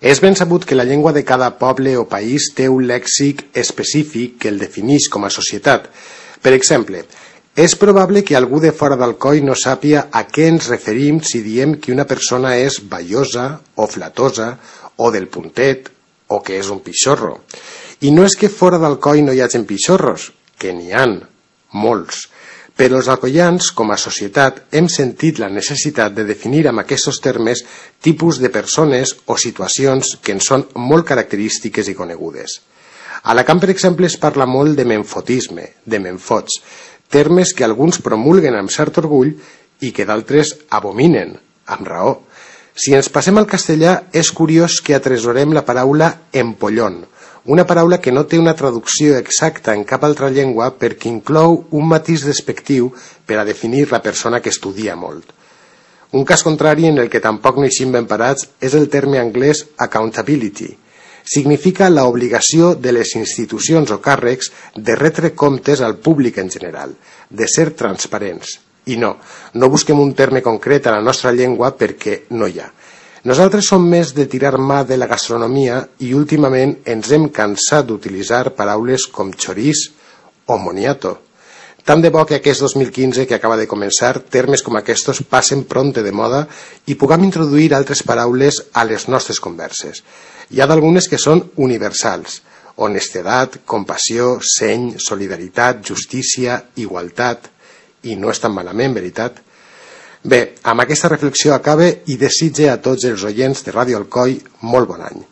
És ben sabut que la llengua de cada poble o país té un lèxic específic que el defineix com a societat. Per exemple, és probable que algú de fora d'Alcoi no sàpia a què ens referim si diem que una persona és ballosa o flatosa o del puntet o que és un pixorro. I no és que fora d'Alcoi no hi hagin pixorros, que n'hi han, molts. Però els alcoians, com a societat, hem sentit la necessitat de definir amb aquests termes tipus de persones o situacions que en són molt característiques i conegudes. A Alacant, per exemple, es parla molt de menfotisme, de menfots, termes que alguns promulguen amb cert orgull i que d'altres abominen, amb raó. Si ens passem al castellà, és curiós que atresorem la paraula empollón, una paraula que no té una traducció exacta en cap altra llengua perquè inclou un matís despectiu per a definir la persona que estudia molt. Un cas contrari en el que tampoc no eixim ben parats és el terme anglès accountability. Significa la obligació de les institucions o càrrecs de retre comptes al públic en general, de ser transparents. I no busquem un terme concret a la nostra llengua perquè no hi ha. Nosaltres som més de tirar mà de la gastronomia i últimament ens hem cansat d'utilitzar paraules com choriç o moniato. Tant de bo que aquest 2015 que acaba de començar, termes com aquests passen prompte de moda i puguem introduir altres paraules a les nostres converses. Hi ha d'algunes que són universals: honestedat, compassió, seny, solidaritat, justícia, igualtat, i no és tan malament, veritat? Bé, amb aquesta reflexió acabe i desitge a tots els oients de Ràdio Alcoi molt bon any.